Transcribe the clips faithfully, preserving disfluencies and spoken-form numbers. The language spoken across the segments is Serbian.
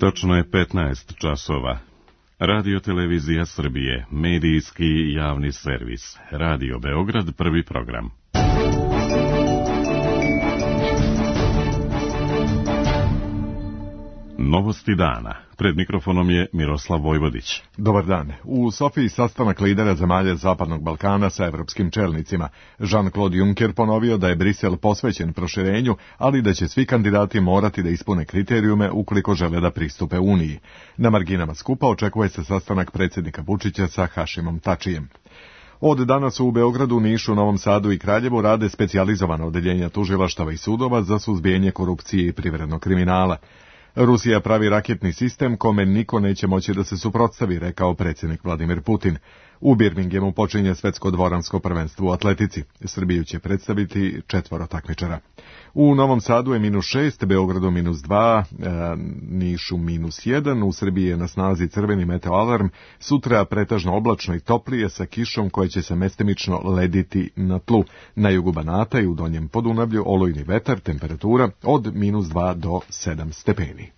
Točno je petnaest časova. Radio Televizija Srbije, medijski javni servis. Radio Beograd, prvi program. Novosti dana. Pred mikrofonom je Miroslav Vojvodić. Dobar dan. U Sofiji sastanak lidera zemalja Zapadnog Balkana sa evropskim čelnicima. Jean-Claude Juncker ponovio da je Brisel posvećen proširenju, ali da će svi kandidati morati da ispune kriterijume ukoliko žele da pristupe Uniji. Na marginama skupa očekuje se sastanak predsjednika Vučića sa Hašimom Tačijem. Od danas u Beogradu, Nišu, Novom Sadu i Kraljevu rade specijalizovana odeljenja tužilaštava i sudova za suzbijanje korupcije i privrednog kriminala. Rusija pravi raketni sistem kome niko neće moći da se suprotstavi, rekao predsjednik Vladimir Putin. U Birminghamu počinje svetsko dvoransko prvenstvo u atletici. Srbiju će predstaviti četvoro takmičara. U Novom Sadu je minus šest, Beogradu minus dva, e, Nišu minus jedan, u Srbiji je na snazi crveni meteoalarm, sutra pretažno oblačno i toplije sa kišom koja će se mestimično lediti na tlu. Na jugu Banata i u Donjem Podunavlju olujni vetar, temperatura od minus dva do sedam stepeni.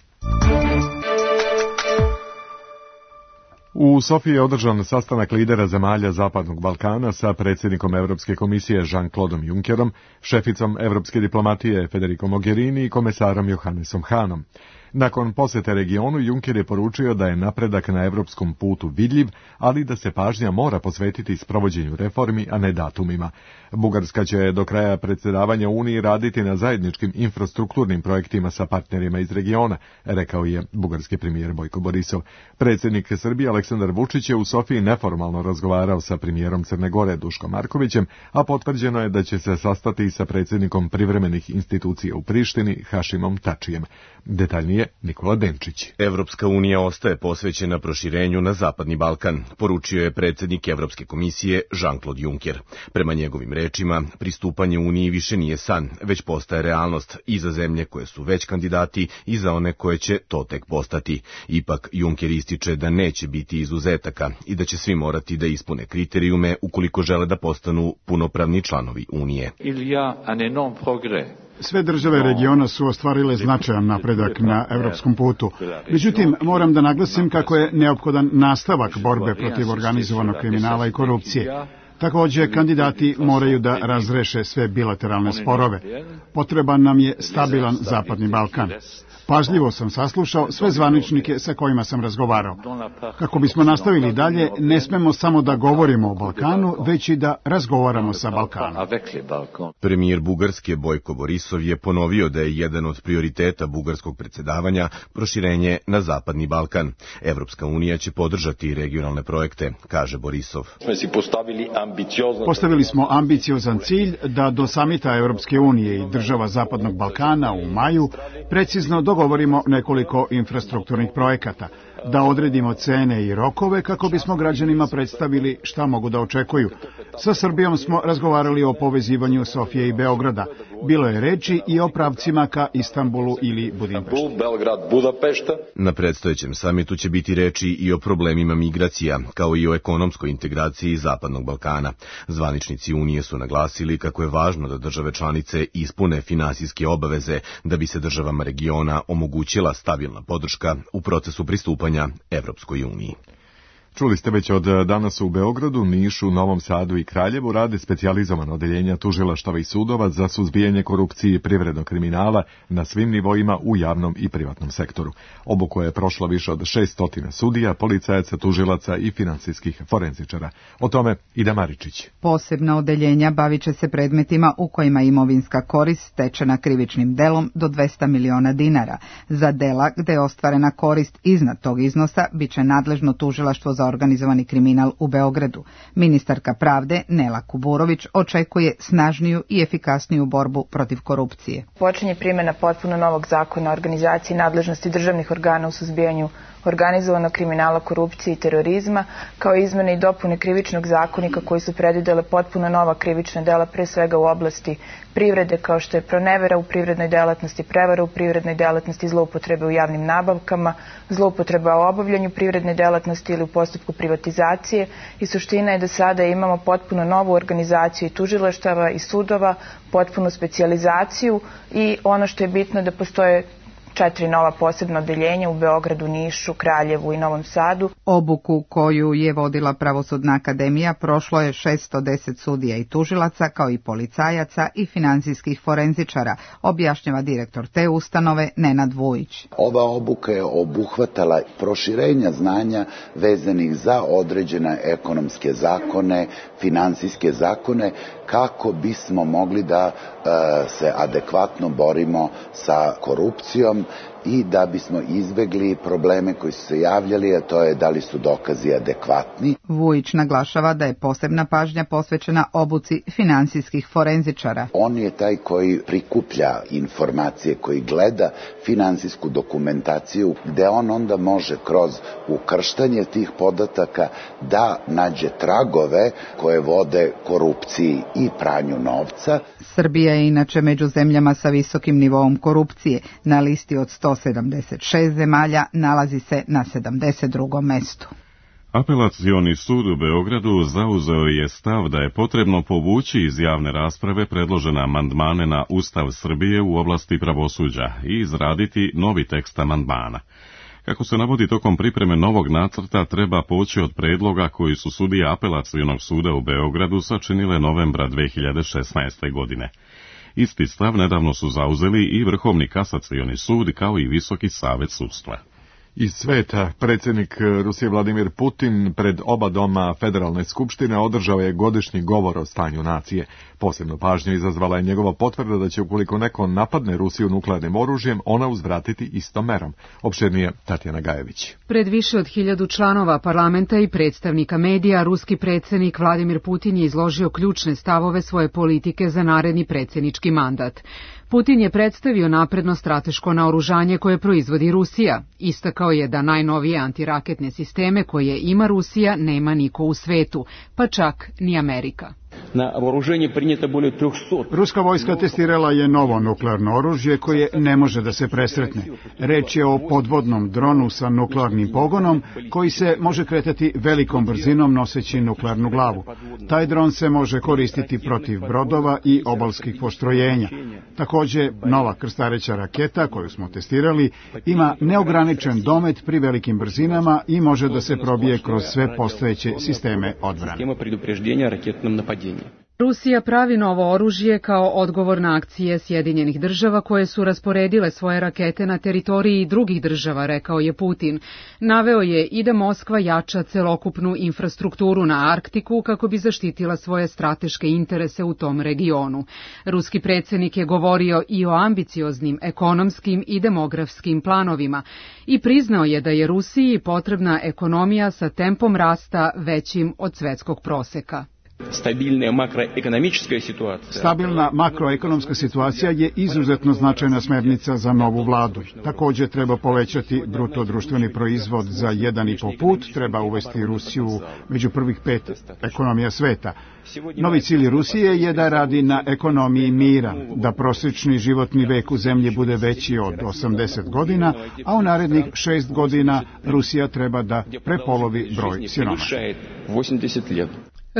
U Sofiji je održan sastanak lidera zemalja Zapadnog Balkana sa predsjednikom Evropske komisije Jean-Claude Junckerom, šeficom evropske diplomatije Federico Mogherini i komesarom Johannesom Hahnom. Nakon posjete regionu, Juncker je poručio da je napredak na evropskom putu vidljiv, ali da se pažnja mora posvetiti sprovođenju reformi, a ne datumima. Bugarska će do kraja predsjedavanja Uniji raditi na zajedničkim infrastrukturnim projektima sa partnerima iz regiona, rekao je bugarski premijer Bojko Borisov. Predsjednik Srbije Aleksandar Vučić je u Sofiji neformalno razgovarao sa premijerom Crne Gore Duškom Markovićem, a potvrđeno je da će se sastati sa predsjednikom privremenih institucija u Prištini Hašimom Tačijem. Detaljnije Nikola Denčić. Evropska unija ostaje posvećena proširenju na Zapadni Balkan, poručio je predsjednik Evropske komisije Jean-Claude Juncker. Prema njegovim rečima, pristupanje Uniji više nije san, već postaje realnost i za zemlje koje su već kandidati i za one koje će to tek postati. Ipak, Juncker ističe da neće biti izuzetaka i da će svi morati da ispune kriterijume ukoliko žele da postanu punopravni članovi Unije. Sve države regiona su ostvarile značajan napredak na evropskom putu. Međutim, moram da naglasim kako je neophodan nastavak borbe protiv organizovanog kriminala i korupcije. Također, kandidati moraju da razreše sve bilateralne sporove. Potreban nam je stabilan Zapadni Balkan. Pažljivo sam saslušao sve zvaničnike sa kojima sam razgovarao. Kako bismo nastavili dalje, ne smemo samo da govorimo o Balkanu, već i da razgovaramo sa Balkanom. Premijer Bugarske Bojko Borisov je ponovio da je jedan od prioriteta bugarskog predsjedavanja proširenje na Zapadni Balkan. Evropska unija će podržati regionalne projekte, kaže Borisov. Postavili smo ambiciozan cilj da do samita Evropske unije i država Zapadnog Balkana u maju precizno dogovorimo nekoliko infrastrukturnih projekata, da odredimo cene i rokove kako bismo građanima predstavili šta mogu da očekuju. Sa Srbijom smo razgovarali o povezivanju Sofije i Beograda. Bilo je reči i o pravcima ka Istanbulu ili Budimpešti. Na predstojećem samitu će biti reči i o problemima migracija, kao i o ekonomskoj integraciji Zapadnog Balkana. Zvaničnici Unije su naglasili kako je važno da države članice ispune finansijske obaveze da bi se državama regiona omogućila stabilna podrška u procesu pristupanja Evropskoj uniji. Čuli ste već od danas u Beogradu, Nišu, Novom Sadu i Kraljevu rade specijalizovana odeljenja tužilaštava i sudova za suzbijanje korupcije i privrednog kriminala na svim nivoima u javnom i privatnom sektoru. Obuku je prošlo više od šessto sudija, policajaca, tužilaca i finansijskih forenzičara. O tome Ida Maričić. Posebna odeljenja bavit će se predmetima u kojima imovinska korist stečena krivičnim delom do dvesta miliona dinara. Za dela gde je ostvarena korist iznad tog iznosa bit će nadležno tužilaštvo za organizovani kriminal u Beogradu. Ministarka pravde Nela Kuburović očekuje snažniju i efikasniju borbu protiv korupcije. Počinje primjena potpuno novog zakona o organizaciji nadležnosti državnih organa u suzbijanju organizovanog kriminala, korupcije i terorizma, kao izmene i dopune krivičnog zakonika koji su predvidele potpuno nova krivična dela, pre svega u oblasti privrede, kao što je pronevera u privrednoj delatnosti, prevara u privrednoj delatnosti, zloupotrebe u javnim nabavkama, zloupotreba u obavljanju privredne delatnosti ili u postupku privatizacije. I suština je da sada imamo potpuno novu organizaciju i tužilaštava i sudova, potpunu specijalizaciju i ono što je bitno da postoje četiri nova posebna odeljenja u Beogradu, Nišu, Kraljevu i Novom Sadu. Obuku koju je vodila Pravosudna akademija prošlo je šessto deset sudija i tužilaca, kao i policajaca i finansijskih forenzičara, objašnjava direktor te ustanove Nenad Vujić. Ova obuka je obuhvatala proširenja znanja vezanih za određene ekonomske zakone, finansijske zakone, kako bismo mogli da e, se adekvatno borimo sa korupcijom i da bismo izbegli probleme koji su se javljali, a to je da li su dokazi adekvatni. Vujić naglašava da je posebna pažnja posvećena obuci finansijskih forenzičara. On je taj koji prikuplja informacije, koji gleda finansijsku dokumentaciju, gde on onda može kroz ukrštanje tih podataka da nađe tragove koje vode korupciji i pranju novca. Srbija je inače među zemljama sa visokim nivoom korupcije. Na listi od sto sedamdeset šest zemalja nalazi se na sedamdeset drugom mestu. Apelacioni sud u Beogradu zauzeo je stav da je potrebno povući iz javne rasprave predložene amandmane na Ustav Srbije u oblasti pravosuđa i izraditi novi tekst amandmana. Kako se navodi, tokom pripreme novog nacrta treba poći od predloga koji su sudije Apelacionog suda u Beogradu sačinile novembra dve hiljade šesnaeste. godine. Isti stav nedavno su zauzeli i Vrhovni kasacioni sud kao i Visoki savet sudstva. Iz sveta, predsjednik Rusije Vladimir Putin pred oba doma Federalne skupštine održao je godišnji govor o stanju nacije. Posebnu pažnju izazvala je njegova potvrda da će, ukoliko neko napadne Rusiju nuklearnim oružjem, ona uzvratiti istom merom. Opširnije Tatjana Gajević. Pred više od hiljadu članova parlamenta i predstavnika medija, ruski predsjednik Vladimir Putin je izložio ključne stavove svoje politike za naredni predsjednički mandat. Putin je predstavio napredno strateško naoružanje koje proizvodi Rusija. Istakao je da najnovije antiraketne sisteme koje ima Rusija nema niko u svetu, pa čak ni Amerika. Na вооружение принято более трехсот. Ruska vojska testirala je novo nuklearno oružje koje ne može da se presretne. Reč je o podvodnom dronu sa nuklearnim pogonom koji se može kretati velikom brzinom noseći nuklearnu glavu. Taj dron se može koristiti protiv brodova i obalskih postrojenja. Također, nova krstareća raketa koju smo testirali ima neograničen domet pri velikim brzinama i može da se probije kroz sve postojeće sisteme odbrane. Rusija pravi novo oružje kao odgovor na akcije Sjedinjenih država koje su rasporedile svoje rakete na teritoriji drugih država, rekao je Putin. Naveo je i da Moskva jača celokupnu infrastrukturu na Arktiku kako bi zaštitila svoje strateške interese u tom regionu. Ruski predsjednik je govorio i o ambicioznim ekonomskim i demografskim planovima i priznao je da je Rusiji potrebna ekonomija sa tempom rasta većim od svetskog proseka. Stabilna makroekonomska situacija je izuzetno značajna smernica za novu vladu. Također treba povećati bruto društveni proizvod za jedan i po put, treba uvesti Rusiju među prvih pet ekonomija sveta. Novi cilj Rusije je da radi na ekonomiji mira, da prosječni životni vek u zemlji bude veći od osamdeset godina, a u narednih šest godina Rusija treba da prepolovi broj siromašnih.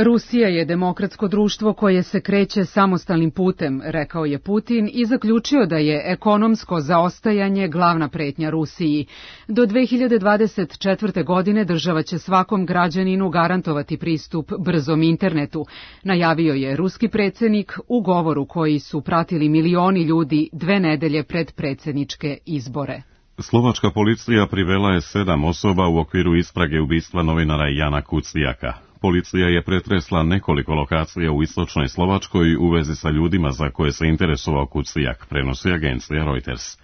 Rusija je demokratsko društvo koje se kreće samostalnim putem, rekao je Putin i zaključio da je ekonomsko zaostajanje glavna pretnja Rusiji. Do dve hiljade dvadeset četvrte. godine država će svakom građaninu garantovati pristup brzom internetu, najavio je ruski predsjednik u govoru koji su pratili milioni ljudi dve nedelje pred predsjedničke izbore. Slovačka policija privela je sedam osoba u okviru istrage ubistva novinara Jana Kuciaka. Policija je pretresla nekoliko lokacija u istočnoj Slovačkoj u vezi sa ljudima za koje se interesovao Kucijak, prenosi agencija Reuters.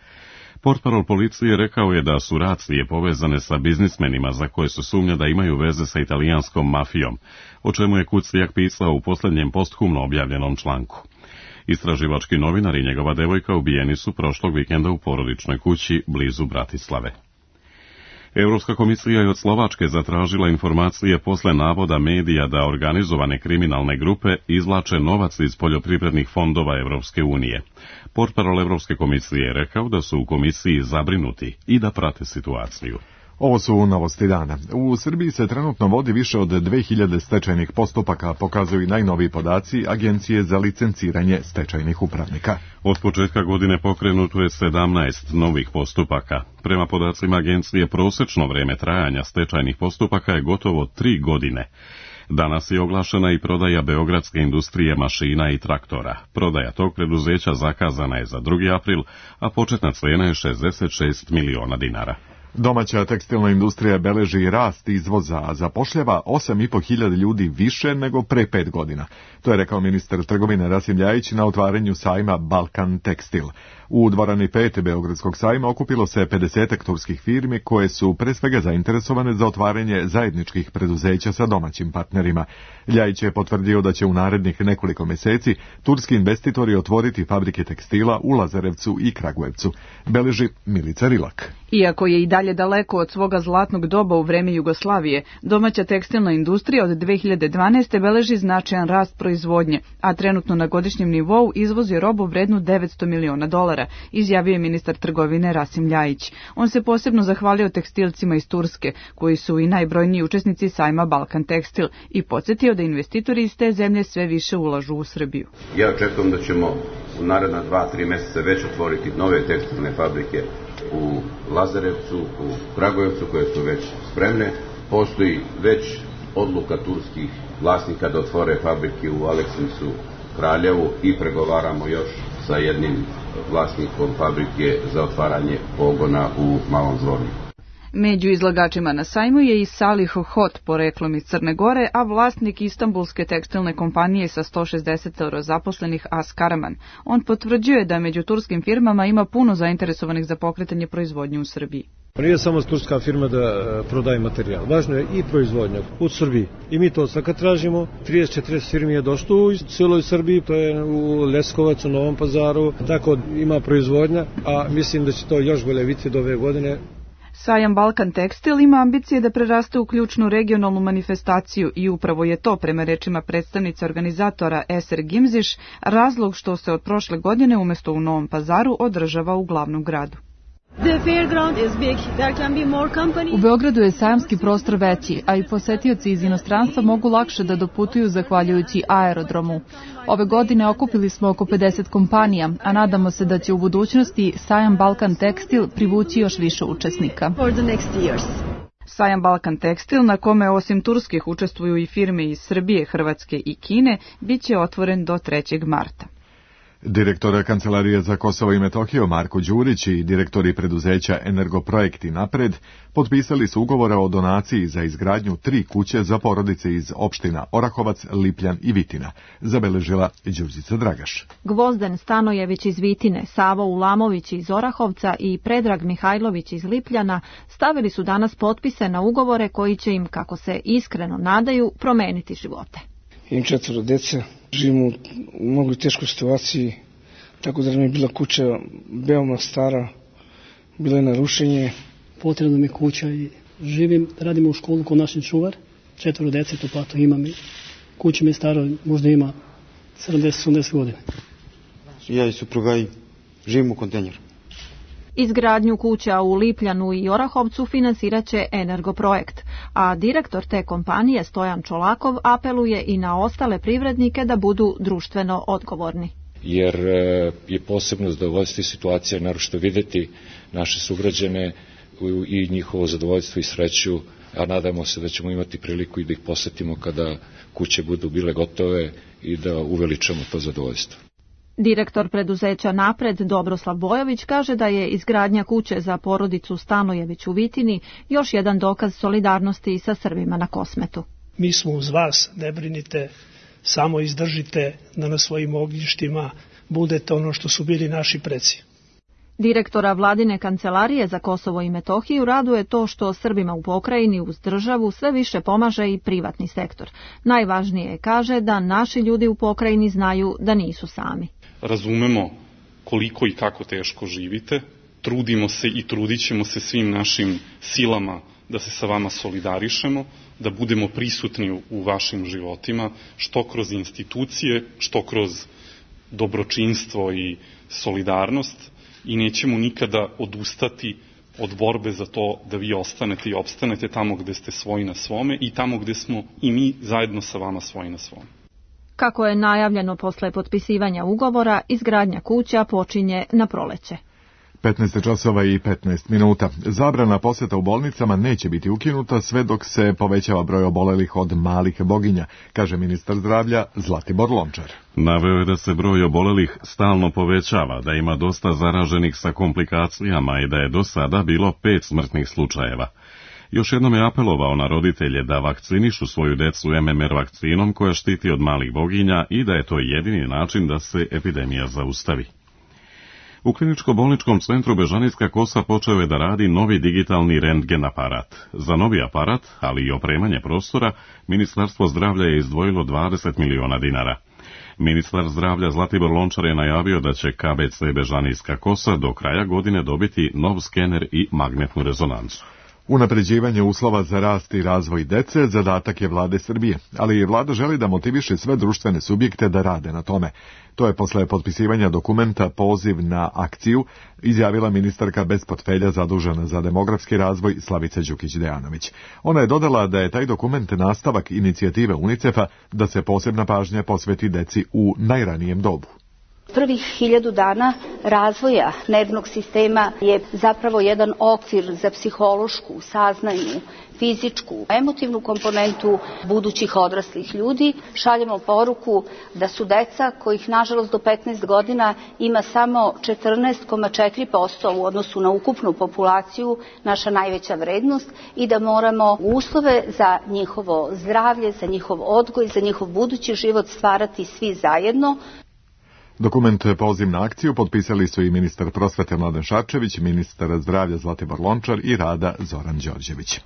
Portparol policije rekao je da su racije povezane sa biznismenima za koje se sumnja da imaju veze sa italijanskom mafijom, o čemu je Kucijak pisao u posljednjem posthumno objavljenom članku. Istraživački novinar i njegova devojka ubijeni su prošlog vikenda u porodičnoj kući blizu Bratislave. Europska komisija je od Slovačke zatražila informacije posle navoda medija da organizovane kriminalne grupe izvlače novac iz poljoprivrednih fondova Europske unije. Portparol Europske komisije je rekao da su u komisiji zabrinuti i da prate situaciju. Ovo su novosti dana. U Srbiji se trenutno vodi više od dve hiljade stečajnih postupaka, pokazuju i najnoviji podaci Agencije za licenciranje stečajnih upravnika. Od početka godine pokrenuto je sedamnaest novih postupaka. Prema podacima agencije, prosečno vreme trajanja stečajnih postupaka je gotovo tri godine. Danas je oglašena i prodaja Beogradske industrije mašina i traktora. Prodaja tog preduzeća zakazana je za drugi april, a početna cena je šezdeset šest miliona dinara. Domaća tekstilna industrija beleži rast izvoza, a zapošljava osam i po hiljada ljudi više nego pre pet godina. To je rekao ministar trgovine Rasim Ljajić na otvaranju sajma Balkan Tekstil. U dvorani pet Beogradskog sajma okupilo se pedesetak turskih firmi koje su pre svega zainteresovane za otvaranje zajedničkih preduzeća sa domaćim partnerima. Ljajić je potvrdio da će u narednih nekoliko meseci turski investitori otvoriti fabrike tekstila u Lazarevcu i Kragujevcu. Beleži Milica Rilak. Iako je i dalje daleko od svoga zlatnog doba u vreme Jugoslavije, domaća tekstilna industrija od dve hiljade dvanaeste. beleži značajan rast proizvodnje, a trenutno na godišnjem nivou izvozi robu vrednu devetsto miliona dolara, izjavio je ministar trgovine Rasim Ljajić. On se posebno zahvalio tekstilcima iz Turske, koji su i najbrojniji učesnici sajma Balkan Tekstil, i podsjetio da investitori iz te zemlje sve više ulažu u Srbiju. Ja očekujem da ćemo u naredna dva, tri meseca već otvoriti nove tekstilne fabrike u Lazarevcu, u Kragujevcu, koje su već spremne. Postoji već odluka turskih vlasnika da otvore fabrike u Aleksincu, Kraljevu, i pregovaramo još sa jednim vlasnikom fabrike za otvaranje pogona u Malom Zvorniku. Među izlagačima na sajmu je i Salih Hot, poreklom iz Crne Gore, a vlasnik istambulske tekstilne kompanije sa sto šezdeset zaposlenih As Karaman. On potvrđuje da među turskim firmama ima puno zainteresovanih za pokretanje proizvodnje u Srbiji. Nije samo turska firma da prodaje materijal, važno je i proizvodnja u Srbiji. I mi to sad kad tražimo, trideset četrdeset firmi je došlo u cijeloj Srbiji, to je u Leskovac, u Novom Pazaru, tako ima proizvodnja, a mislim da će to još bolje biti do ove godine. Sajam Balkan Tekstil ima ambicije da preraste u ključnu regionalnu manifestaciju i upravo je to, prema rečima predstavnice organizatora Eser Gimziš, razlog što se od prošle godine umjesto u Novom Pazaru održava u glavnom gradu. U Beogradu je sajamski prostor veći, a i posetioci iz inostranstva mogu lakše da doputuju zahvaljujući aerodromu. Ove godine okupili smo oko pedeset kompanija, a nadamo se da će u budućnosti sajam Balkan Tekstil privući još više učesnika. Sajam Balkan Tekstil, na kome osim turskih učestvuju i firme iz Srbije, Hrvatske i Kine, bit će otvoren do trećeg marta. Direktor Kancelarije za Kosovo i Metohiju Marko Đurić i direktori preduzeća Energoprojekti Napred potpisali su ugovore o donaciji za izgradnju tri kuće za porodice iz opština Orahovac, Lipljan i Vitina, zabeležila Đurđica Dragaš. Gvozden Stanojević iz Vitine, Savo Ulamović iz Orahovca i Predrag Mihajlović iz Lipljana stavili su danas potpise na ugovore koji će im, kako se iskreno nadaju, promeniti živote. Imam četvoro dece, živimo u mnogo teškoj situaciji, tako da nam je bila kuća veoma stara, bila je na rušenje. Potrebna mi je kuća i živim, radimo u školu kod naših čuvar, četvoro dece, to platu imam i kuća mi je stara, možda ima sedamdeset osamdeset godina. Ja i supruga i živimo u kontejneru. Izgradnju kuća u Lipljanu i Orahovcu finansirat će Energoprojekt, a direktor te kompanije Stojan Čolakov apeluje i na ostale privrednike da budu društveno odgovorni. Jer je posebno zadovoljstvo i situacija, naročito videti naše sugrađane i njihovo zadovoljstvo i sreću, a nadamo se da ćemo imati priliku i da ih posetimo kada kuće budu bile gotove i da uveličamo to zadovoljstvo. Direktor preduzeća Napred Dobroslav Bojović kaže da je izgradnja kuće za porodicu Stanojević u Vitini još jedan dokaz solidarnosti sa Srbima na Kosmetu. Mi smo uz vas, ne brinite, samo izdržite da na svojim ognjištima budete ono što su bili naši preci. Direktora vladine kancelarije za Kosovo i Metohiju raduje to što Srbima u pokrajini uz državu sve više pomaže i privatni sektor. Najvažnije je, kaže, da naši ljudi u pokrajini znaju da nisu sami. Razumemo koliko i kako teško živite, trudimo se i trudit ćemo se svim našim silama da se sa vama solidarišemo, da budemo prisutni u vašim životima, što kroz institucije, što kroz dobročinstvo i solidarnost, i nećemo nikada odustati od borbe za to da vi ostanete i opstanete tamo gde ste svoji na svome i tamo gde smo i mi zajedno sa vama svoji na svome. Kako je najavljeno posle potpisivanja ugovora, izgradnja kuća počinje na proleće. petnaest časova i petnaest minuta. Zabrana posjeta u bolnicama neće biti ukinuta sve dok se povećava broj obolelih od malih boginja, kaže ministar zdravlja Zlatibor Lončar. Naveo je da se broj obolelih stalno povećava, da ima dosta zaraženih sa komplikacijama i da je do sada bilo pet smrtnih slučajeva. Još jednom je apelovao na roditelje da vakcinišu svoju decu M M R vakcinom koja štiti od malih boginja i da je to jedini način da se epidemija zaustavi. U kliničko-bolničkom centru Bežanijska Kosa počeo je da radi novi digitalni rentgen aparat. Za novi aparat, ali i opremanje prostora, Ministarstvo zdravlja je izdvojilo dvadeset miliona dinara. Ministar zdravlja Zlatibor Lončar je najavio da će K B C Bežanijska Kosa do kraja godine dobiti nov skener i magnetnu rezonancu. Unapređivanje uslova za rast i razvoj dece zadatak je vlade Srbije, ali i vlada želi da motiviše sve društvene subjekte da rade na tome. To je posle potpisivanja dokumenta Poziv na akciju izjavila ministarka bez portfelja zadužena za demografski razvoj Slavica Đukić-Dejanović. Ona je dodala da je taj dokument nastavak inicijative UNICEF-a da se posebna pažnja posveti deci u najranijem dobu. Prvih hiljadu dana razvoja nervnog sistema je zapravo jedan okvir za psihološku, saznajnu, fizičku, emotivnu komponentu budućih odraslih ljudi. Šaljemo poruku da su deca kojih nažalost do petnaest godina ima samo četrnaest zarez četiri posto u odnosu na ukupnu populaciju naša najveća vrednost i da moramo uslove za njihovo zdravlje, za njihov odgoj, za njihov budući život stvarati svi zajedno. Dokument Poziv na akciju potpisali su i ministar prosvete Mladen Šarčević, ministar zdravlja Zlatibor Lončar i rada Zoran Đorđević.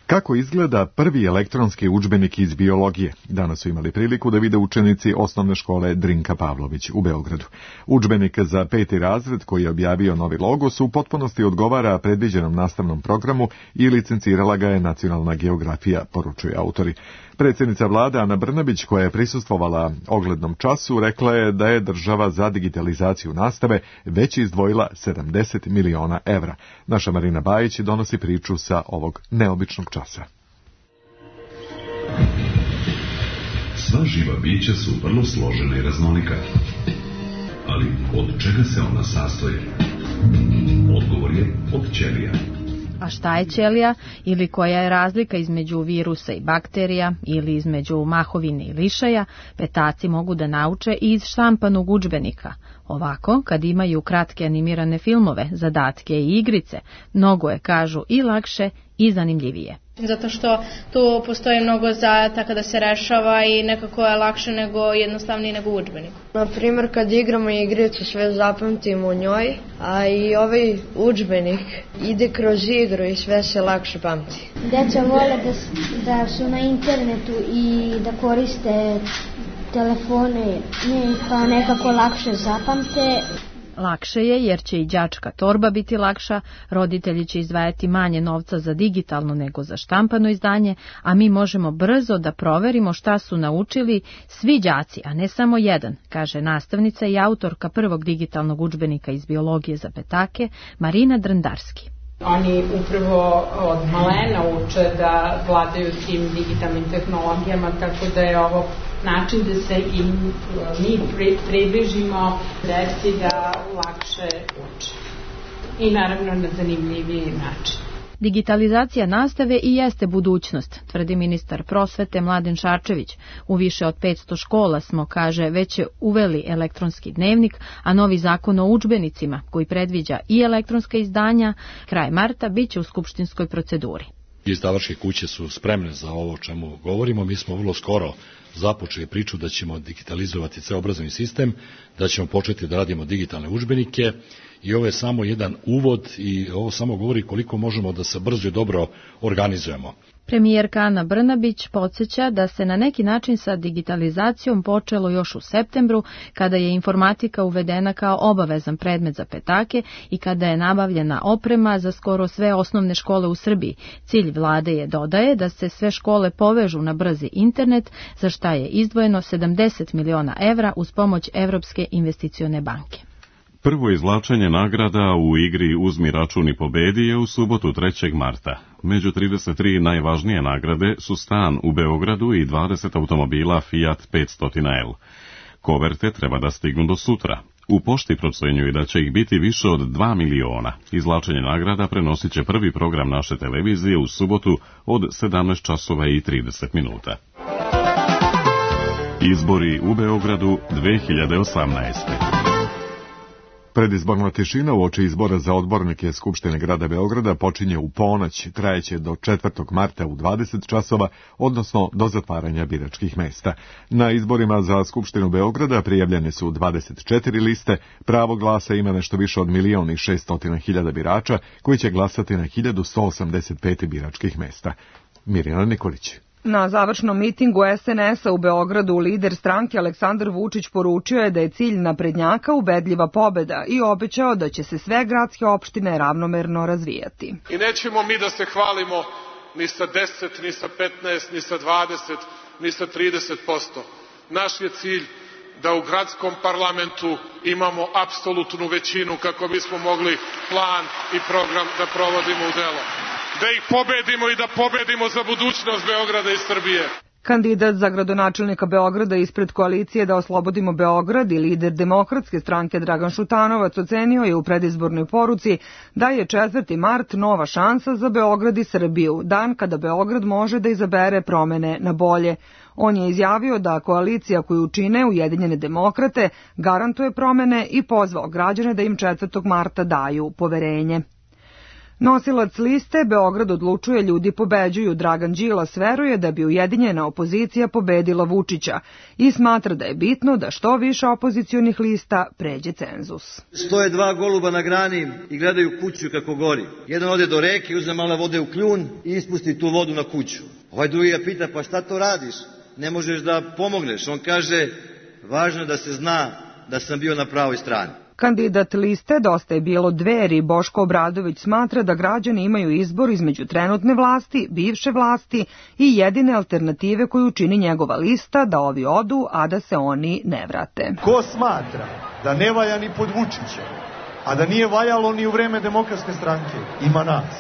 Kako izgleda prvi elektronski udžbenik iz biologije? Danas su imali priliku da vide učenici osnovne škole Drinka Pavlović u Beogradu. Udžbenik za peti razred koji je objavio novi logos u potpunosti odgovara predviđenom nastavnom programu i licencirala ga je Nacionalna geografija, poručuju autori. Predsjednica vlade Ana Brnabić, koja je prisustvovala oglednom času, rekla je da je država za digitalizaciju nastave već izdvojila sedamdeset miliona evra. Naša Marina Bajić donosi priču sa ovog neobičnog časa. Sva živa bića su vrlo složena i raznolika. Ali od čega se ona sastoji? Odgovor je od ćelija. A šta je ćelija ili koja je razlika između virusa i bakterija ili između mahovine i lišaja, petaci mogu da nauče i iz štampanog udžbenika. Ovako, kad imaju kratke animirane filmove, zadatke i igrice, mnogo je, kažu, i lakše i zanimljivije. Zato što tu postoji mnogo zadataka da se rešava i nekako je lakše nego jednostavnije nego u udžbeniku. Na primjer, kad igramo igricu sve zapamtimo u njoj, a i ovaj udžbenik ide kroz igru i sve se lakše pamti. Deca vole da, da su na internetu i da koriste telefone, pa nekako lakše zapamte. Lakše je jer će i đačka torba biti lakša, roditelji će izdvajati manje novca za digitalno nego za štampano izdanje, a mi možemo brzo da proverimo šta su naučili svi đaci, a ne samo jedan, kaže nastavnica i autorka prvog digitalnog udžbenika iz biologije za petake, Marina Drndarski. Oni upravo od malena uče da vladaju tim digitalnim tehnologijama, tako da je ovo način da se i mi približimo deci da lakše uče. I naravno na zanimljiviji način. Digitalizacija nastave i jeste budućnost, tvrdi ministar prosvete Mladen Šarčević. U više od petsto škola smo, kaže, već uveli elektronski dnevnik, a novi zakon o udžbenicima, koji predviđa i elektronska izdanja, kraj marta biće u skupštinskoj proceduri. Izdavačke kuće su spremne za ovo o čemu govorimo. Mi smo vrlo skoro započeli priču da ćemo digitalizovati ceo obrazovni sistem, da ćemo početi da radimo digitalne udžbenike i ovo je samo jedan uvod i ovo samo govori koliko možemo da se brzo i dobro organizujemo. Premijerka Ana Brnabić podsjeća da se na neki način sa digitalizacijom počelo još u septembru, kada je informatika uvedena kao obavezan predmet za petake i kada je nabavljena oprema za skoro sve osnovne škole u Srbiji. Cilj vlade je, dodaje, da se sve škole povežu na brzi internet, za šta je izdvojeno sedamdeset miliona evra uz pomoć Evropske investicione banke. Prvo izvlačenje nagrada u igri Uzmi račun i pobedi je u subotu trećeg marta. Među trideset tri najvažnije nagrade su stan u Beogradu i dvadeset automobila Fiat petsto L. Koverte treba da stignu do sutra. U pošti procenjuju da će ih biti više od dva miliona. Izvlačenje nagrada prenosit će prvi program naše televizije u subotu od sedamnaest časova i trideset minuta. Izbori u Beogradu dve hiljade osamnaeste. Predizborna tišina uoči izbora za odbornike Skupštine grada Beograda počinje u ponoć, trajeće do četvrtog marta u dvadeset časova, odnosno do zatvaranja biračkih mesta. Na izborima za Skupštinu Beograda prijavljene su dvadeset četiri liste, pravo glasa ima nešto više od milion i šeststotina hiljada birača koji će glasati na hiljadu sto osamdeset pet biračkih mesta. Mirjana Nikolić. Na završnom mitingu es en es-a u Beogradu lider stranke Aleksandar Vučić poručio je da je cilj naprednjaka ubedljiva pobeda i obećao da će se sve gradske opštine ravnomerno razvijati. I nećemo mi da se hvalimo ni sa deset, ni sa petnaest, ni sa dvadeset, ni sa trideset posto. Naš je cilj da u gradskom parlamentu imamo apsolutnu većinu kako bismo mogli plan i program da provodimo u delo. Da ih pobedimo i da pobedimo za budućnost Beograda i Srbije. Kandidat za gradonačelnika Beograda ispred koalicije Da oslobodimo Beograd i lider Demokratske stranke Dragan Šutanovac ocenio je u predizbornoj poruci da je četvrti mart nova šansa za Beograd i Srbiju, dan kada Beograd može da izabere promene na bolje. On je izjavio da koalicija koju čine Ujedinjene demokrate garantuje promene i pozvao građane da im četvrtog marta daju poverenje. Nosilac liste Beograd odlučuje, ljudi pobeđuju Dragan Đilas veruje da bi ujedinjena opozicija pobedila Vučića i smatra da je bitno da što više opozicionih lista pređe cenzus. Stoje dva goluba na grani i gledaju kuću kako gori. Jedan ode do reke, uzme malo vode u kljun i ispusti tu vodu na kuću. Ovaj drugi ga pita, pa šta to radiš? Ne možeš da pomogneš. On kaže, važno da se zna da sam bio na pravoj strani. Kandidat liste Dosta je bilo Dveri Boško Obradović smatra da građani imaju izbor između trenutne vlasti, bivše vlasti i jedine alternative koju čini njegova lista da ovi odu, a da se oni ne vrate. Ko smatra da ne valja ni pod Vučićem, a da nije valjalo ni u vreme Demokratske stranke, ima nas.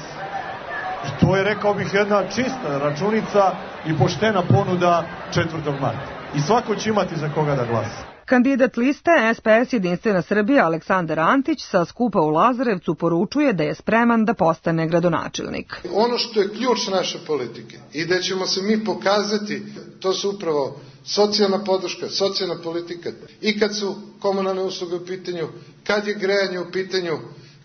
I to je, rekao bih, jedna čista računica i poštena ponuda četvrtog marta. I svako će imati za koga da glasa. Kandidat liste es pe es Jedinstvena Srbija Aleksandar Antić sa skupa u Lazarevcu poručuje da je spreman da postane gradonačelnik. Ono što je ključ naše politike i da ćemo se mi pokazati, to su upravo socijalna podrška, socijalna politika. I kad su komunalne usluge u pitanju, kad je grejanje u pitanju,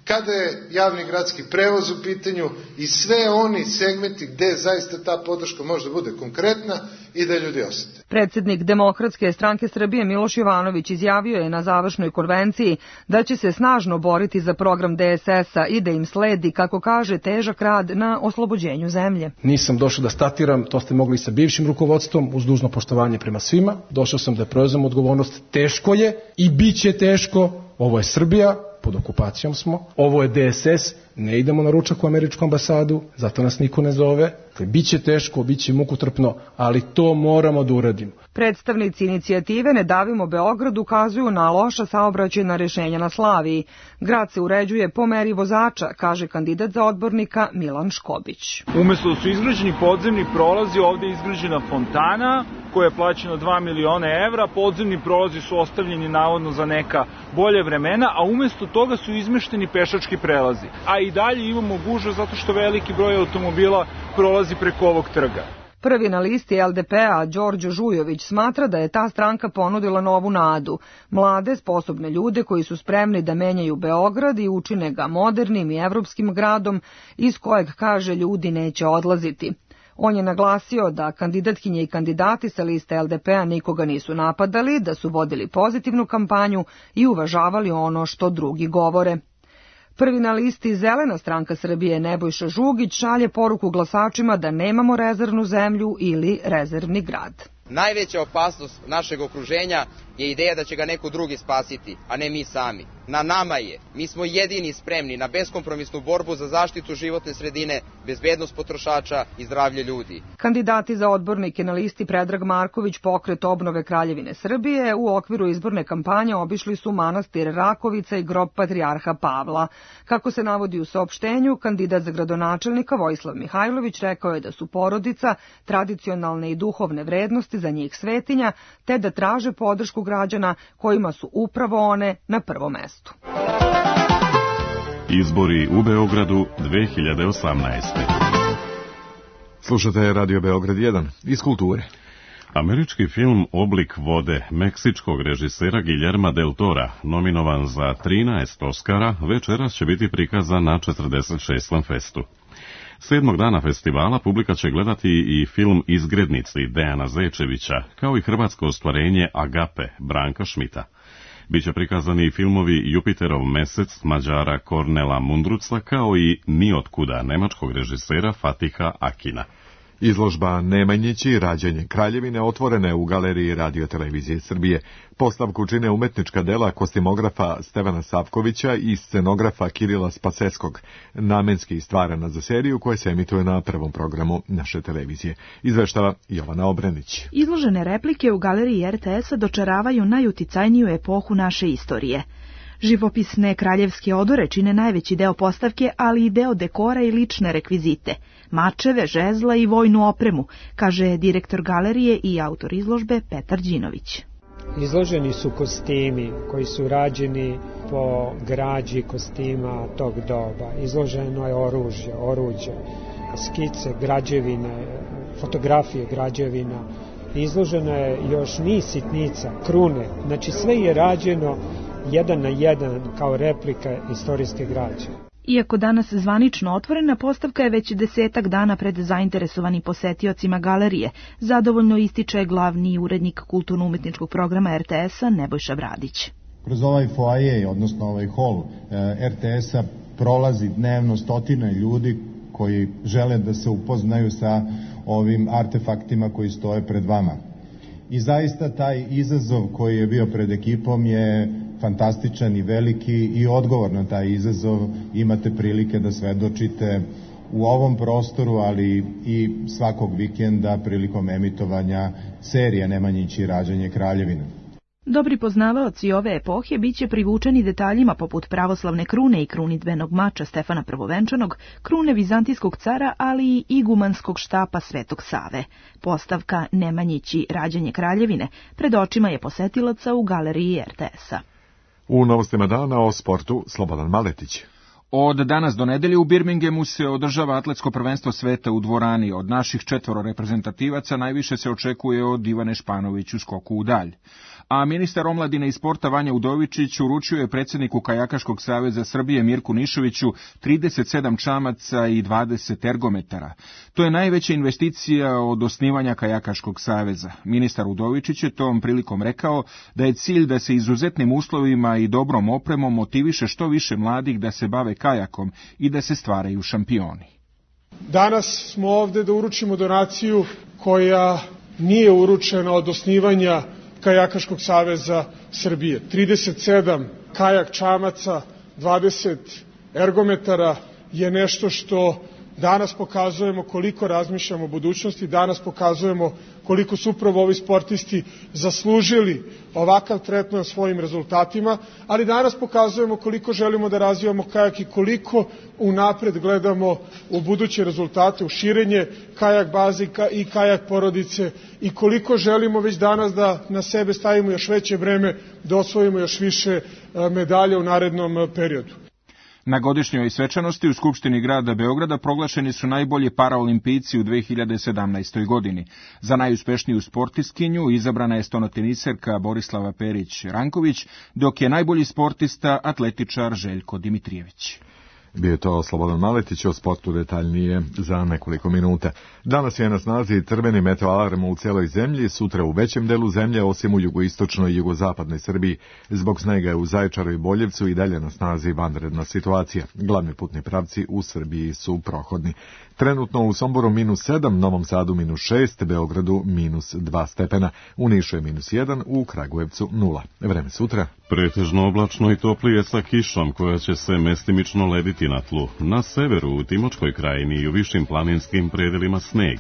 kada je javni gradski prevoz u pitanju i sve oni segmenti gde zaista ta podrška može da bude konkretna i da ljudi osete. Predsjednik Demokratske stranke Srbije Miloš Jovanović izjavio je na završnoj konvenciji da će se snažno boriti za program de es es-a i da im sledi, kako kaže, težak rad na oslobođenju zemlje. Nisam došao da statiram, to ste mogli sa bivšim rukovodstvom, uz dužno poštovanje prema svima. Došao sam da preuzem odgovornost, teško je i bit će teško, ovo je Srbija, pod okupacijom smo, ovo je de es es, ne idemo na ručak u američku ambasadu, zato nas niko ne zove. Biće teško, biće mukotrpno, ali to moramo da uradimo. Predstavnici inicijative Ne davimo Beograd ukazuju na loša saobraćajna rešenja na Slaviji. Grad se uređuje po meri vozača, kaže kandidat za odbornika Milan Škobić. Umesto da su izgrađeni podzemni prolazi, ovde je izgrađena fontana koja je plaćena dva miliona evra, podzemni prolazi su ostavljeni navodno za neka bolje vremena, a umesto toga su izmešteni pešački prelazi. A i dalje imamo gužve zato što veliki broj automobila prolazi preko ovog trga. Prvi na listi el de pe-a, Đorđo Žujović, smatra da je ta stranka ponudila novu nadu. Mlade, sposobne ljude koji su spremni da menjaju Beograd i učine ga modernim i evropskim gradom iz kojeg, kaže, ljudi neće odlaziti. On je naglasio da kandidatkinje i kandidati sa liste el de pe-a nikoga nisu napadali, da su vodili pozitivnu kampanju i uvažavali ono što drugi govore. Prvi na listi Zelena stranka Srbije Nebojša Žugić šalje poruku glasačima da nemamo rezervnu zemlju ili rezervni grad. Najveća opasnost našeg okruženja je ideja da će ga neko drugi spasiti, a ne mi sami. Na nama je. Mi smo jedini spremni na beskompromisnu borbu za zaštitu životne sredine, bezbednost potrošača i zdravlje ljudi. Kandidati za odbornike na listi Predrag Marković, Pokret obnove Kraljevine Srbije, u okviru izborne kampanje obišli su manastir Rakovica i grob patrijarha Pavla. Kako se navodi u saopštenju, kandidat za gradonačelnika Vojislav Mihajlović rekao je da su porodica, tradicionalne i duhovne vrednosti za njih svetinja, te da traže podršku građana kojima su upravo one na prvom mestu. Izbori u Beogradu dve hiljade osamnaeste. Slušate Radio Beograd jedan iz kulture. Američki film Oblik vode meksičkog režisera Guillerma del Tora, nominovan za trinaest Oskara, večeras će biti prikazan na četrdeset šestom festu. Sedmog dana festivala publika će gledati i film Izgrednici Dejana Zečevića, kao i hrvatsko ostvarenje Agape Branka Šmita. Biće prikazani i filmovi Jupiterov mesec Mađara Kornela Mundruca, kao i Niotkuda nemačkog režisera Fatiha Akina. Izložba Nemanjići, rađenje Kraljevine, otvorena je u Galeriji Radio-televizije Srbije. Postavku čine umetnička dela kostimografa Stevana Savkovića i scenografa Kirila Spaseskog, namenski stvarana za seriju koja se emituje na prvom programu naše televizije. Izveštava Jovana Obrenić. Izložene replike u Galeriji er te es-a dočaravaju najuticajniju epohu naše istorije. Živopisne kraljevske odore čine najveći deo postavke, ali i deo dekora i lične rekvizite, mačeve, žezla i vojnu opremu, kaže direktor galerije i autor izložbe Petar Đinović. Izloženi su kostimi koji su rađeni po građi kostima tog doba. Izloženo je oružje, oruđe, skice, građevine, fotografije građevina. Izloženo je još niz sitnica, krune, znači sve je rađeno jedan na jedan kao replika istorijske građe. Iako danas zvanično otvorena, postavka je već desetak dana pred zainteresovanim posetiocima galerije, zadovoljno ističe glavni urednik kulturno-umetničkog programa er te es-a Nebojša Bradić. Kroz ovaj foaje, odnosno ovaj hol er te es-a prolazi dnevno stotine ljudi koji žele da se upoznaju sa ovim artefaktima koji stoje pred vama. I zaista taj izazov koji je bio pred ekipom je fantastičan i veliki i odgovor na taj izazov imate prilike da svedočite u ovom prostoru, ali i svakog vikenda prilikom emitovanja serije Nemanjići rađenje Kraljevine. Dobri poznavaoci ove epohe biće privučeni detaljima poput pravoslavne krune i krunidbenog mača Stefana Prvovenčanog, krune vizantijskog cara, ali i igumanskog štapa Svetog Save. Postavka Nemanjići rađenje Kraljevine pred očima je posetilaca u Galeriji er te es-a. U novostima dana o sportu Slobodan Maletić. Od danas do nedelje u Birminghamu se održava atletsko prvenstvo sveta u dvorani. Od naših četvoro reprezentativaca najviše se očekuje od Ivane Španović u skoku u dalj. A ministar omladine i sporta Vanja Udovičić uručio je predsjedniku Kajakaškog saveza Srbije Mirku Nišoviću trideset sedam čamaca i dvadeset ergometara. To je najveća investicija od osnivanja Kajakaškog saveza. Ministar Udovičić je tom prilikom rekao da je cilj da se izuzetnim uslovima i dobrom opremom motiviše što više mladih da se bave kajakom i da se stvaraju šampioni. Danas smo ovde da uručimo donaciju koja nije uručena od osnivanja Kajakaškog saveza Srbije. trideset sedam kajak čamaca, dvadeset ergometara je nešto što danas pokazujemo koliko razmišljamo o budućnosti, danas pokazujemo koliko su upravo ovi sportisti zaslužili ovakav tretman svojim rezultatima, ali danas pokazujemo koliko želimo da razvijamo kajak i koliko unapred gledamo u buduće rezultate, u širenje kajak bazika i kajak porodice i koliko želimo već danas da na sebe stavimo još veće breme, da osvojimo još više medalja u narednom periodu. Na godišnjoj svečanosti u Skupštini grada Beograda proglašeni su najbolji paraolimpijci u dve hiljade sedamnaestoj godini. Za najuspešniju sportistkinju izabrana je stonoteniserka Borislava Perić-Ranković, dok je najbolji sportista atletičar Željko Dimitrijević. Bio je to Slobodan Maletić, o sportu detaljnije za nekoliko minuta. Danas je na snazi crveni meteo alarm u celoj zemlji, sutra u većem delu zemlje, osim u jugoistočnoj i jugozapadnoj Srbiji. Zbog snega je u Zaječaru i Boljevcu i dalje na snazi vanredna situacija. Glavni putni pravci u Srbiji su prohodni. Trenutno u Somboru minus sedam, Novom Sadu minus šest, Beogradu minus dva stepena, u Nišu je minus jedan, u Kragujevcu nula. Vreme sutra. Pretežno oblačno i toplije sa kišom koja će se mestimično lediti na tlu. Na severu, u Timočkoj krajini i u višim planinskim predelima sneg.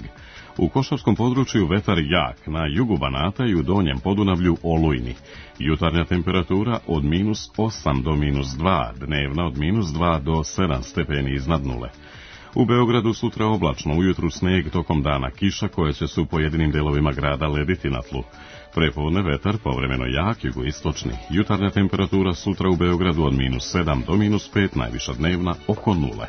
U Košarskom području vetar jak, na jugu Banata i u Donjem Podunavlju olujni. Jutarnja temperatura od minus osam do minus dva, dnevna od minus dva do sedam stepeni iznad nule. U Beogradu sutra oblačno, ujutru sneg, tokom dana kiša koja će se u pojedinim delovima grada lediti na tlu. Prepodne vetar povremeno jak, jugoistočni. Jutarnja temperatura sutra u Beogradu od minus sedam do minus pet, najviša dnevna oko nule.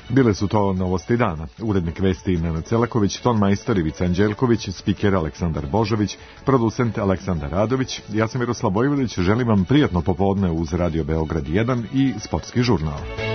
Bile su to novosti dana. Urednik vesti Nenad Celaković, ton majstor Ivica Anđelković, spiker Aleksandar Božović, producent Aleksandar Radović. Ja sam Miroslav Vojvodić, želim vam prijatno popodne uz Radio Beograd jedan i sportski žurnal.